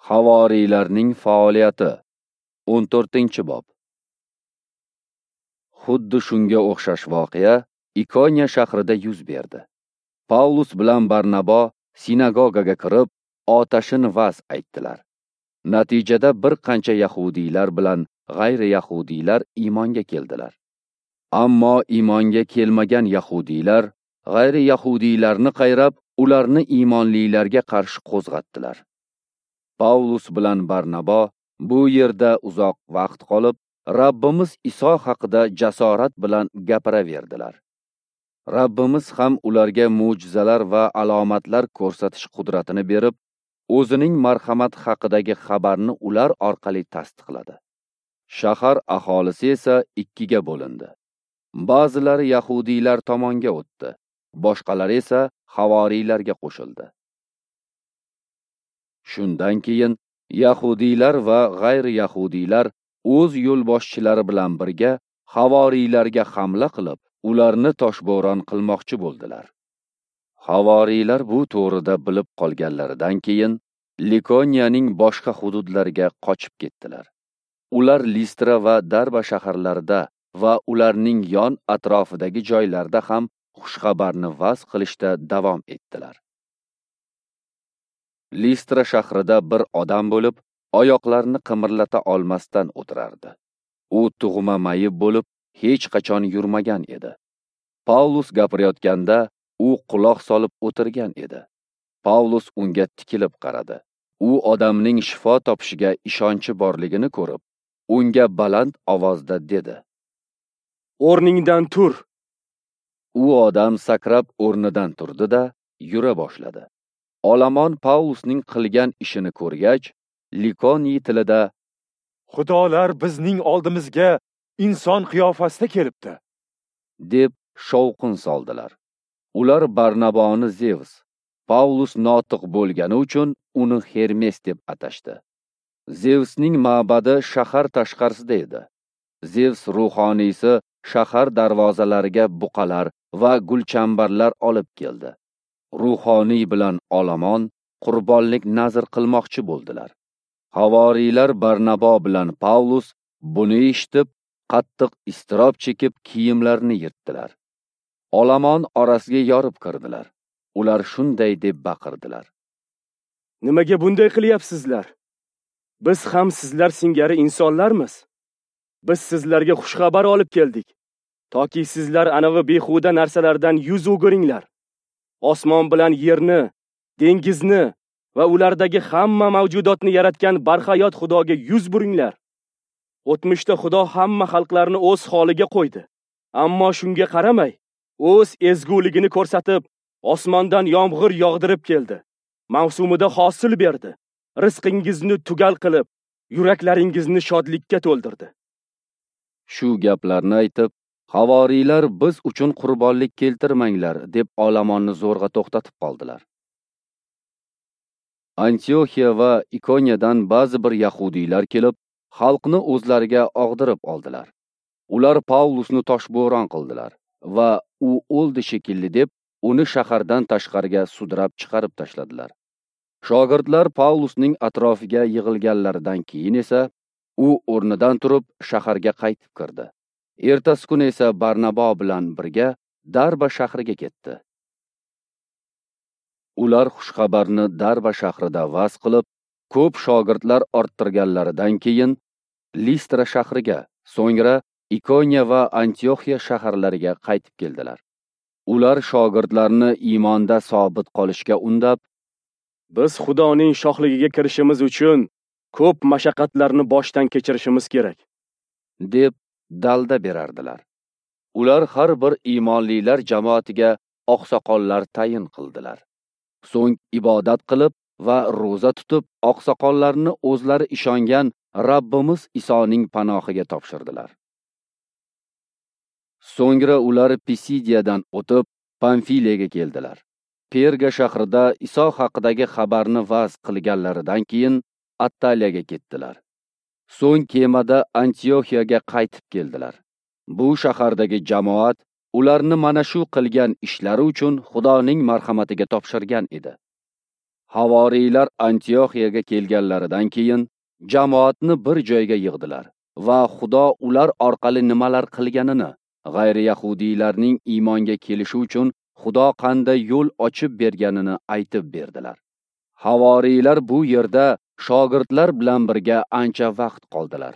Havoriylarning faoliyati 14-bob. Xuddi shunga o'xshash voqea Ikoniya shahrida yuz berdi. Pavlus bilan Barnabo sinagogaga kirib, otashin va'z aytdilar. Natijada bir qancha yahudiylar bilan g'ayri yahudiylar iymonga keldilar. Ammo iymonga kelmagan yahudiylar g'ayri yahudiylarni qayrab, ularni iymonlilarga qarshi qo'zg'atdilar. Pavlus bilan Barnabo bu yerda uzoq vaqt qolib, Rabbimiz Iso haqida jasorat bilan gapiraverdilar. Rabbimiz ham ularga mo'jizalar va alomatlar ko'rsatish qudratini berib, o'zining marhamat haqidagi xabarni ular orqali tasdiqladi. Shahar aholisi esa ikkiga bo'lindi. Ba'zilari yahudiylar tomonga o'tdi, boshqalari esa havoriylarga qo'shildi. Shundan keyin yahudiylar va g'ayri yahudiylar o'z yo'lboshchilari bilan birga havoriylarga hamla qilib, ularni toshbo'ron qilmoqchi bo'ldilar. Havoriylar bu to'g'rida bilib qolganlaridan keyin Likoniyaning boshqa hududlariga qochib ketdilar. Ular Listra va Darba shaharlarida va ularning yon atrofidagi joylarda ham xushxabarni va'z qilishda davom etdilar. Listra shahrida bir odam bo'lib, oyoqlarini qimirlata olmasdan o'tirardi. U tug'ma mayib bo'lib, hech qachon yurmagan edi. Pavlus gapirayotganda u quloq solib o'tirgan edi. Pavlus unga tikilib qaradi. U odamning shifo topishiga ishonchi borligini ko'rib, unga baland ovozda dedi: "O'rningdan tur." U odam sakrab o'rnidan turdi-da, yura boshladi. Olomon Pavlusning qilgan ishini ko'rgach, Likoniy tilida: "Xudolar bizning oldimizga inson qiyofasida kelibdi", deb shovqin soldilar. Ular Barnaboni Zevs, Pavlus notiq bo'lgani uchun uni Hermes deb atashdi. Zevsning ma'badi shahar tashqarisida edi. Zevs ruhoniysi shahar darvozalariga buqalar va gulchambarlar olib keldi. Ruhoniy bilan olomon qurbonlik nazr qilmoqchi bo'ldilar. Havoriylar Barnabo bilan Pavlus buni eshitib, qattiq iztirob chekib kiyimlarini yirtdilar. Olomon orasiga yorib kirdilar. Ular shunday deb baqirdilar: "Nimaga bunday qilyapsizlar? Biz ham sizlar singari insonlarmiz. Biz sizlarga xushxabar olib keldik, toki sizlar anavi behuda narsalardan yuz o'giringlar. Osmon bilan yerni, dengizni va ulardagi hamma mavjudotni yaratgan barhayot Xudoga yuz buringlar. O'tmishda Xudo hamma xalqlarni o'z holiga qo'ydi. Ammo shunga qaramay, o'z ezguligini ko'rsatib, osmondan yomg'ir yog'dirib keldi. Mavsumida hosil berdi. Rizqingizni tugal qilib, yuraklaringizni shodlikka to'ldirdi." Shu gaplarni aytib, havoriylar biz uchun qurbonlik keltirmanglar deb olomonni zo'rg'a to'xtatib qoldilar. Antioxiya va Ikoniyadan ba'zi bir yahudiylar kelib, xalqni o'zlariga og'dirib oldilar. Ular Pavlusni toshbo'ron qildilar va u o'ldi shekilli deb uni shahardan tashqariga sudrab chiqarib tashladilar. Shogirdlar Pavlusning atrofiga yig'ilganlaridan keyin esa u o'rnidan turib shaharga qaytib kirdi. Ertasi kuni esa Barnabo bilan birga Darba shahriga ketdi. Ular xushxabarni Darba shahrida va'z qilib, ko'p shogirdlar orttirganlaridan keyin Listra shahriga, so'ngra Ikoniya va Antioxiya shaharlariga qaytib keldilar. Ular shogirdlarni iymonda sobit qolishga undab, "Biz Xudoning shohligiga kirishimiz uchun ko'p mashaqqatlarni boshdan kechirishimiz kerak", deb dalda berardilar. Ular har bir iymonlilar jamoatiga oqsoqollar tayin qildilar. So'ng ibodat qilib va ro'za tutib, oqsoqollarni o'zlari ishongan Rabbimiz Isoning panohiga topshirdilar. So'ngra ular Pisidiyadan o'tib, Pamfiliyaga keldilar. Perga shahrida Iso haqidagi xabarni va'z qilganlaridan keyin Attaliyaga ketdilar. So'ng kemada Antioxiyaga qaytib keldilar. Bu shahardagi jamoat ularni mana shu qilgan ishlari uchun Xudoning marhamatiga topshirgan edi. Havoriylar Antioxiyaga kelganlaridan keyin jamoatni bir joyga yig'dilar va Xudo ular orqali nimalar qilganini, g'ayri-yahudiylarning iymonga kelishi uchun Xudo qanday yo'l ochib berganini aytib berdilar. Havoriylar bu yerda shogirdlar bilan birga ancha vaqt qoldilar.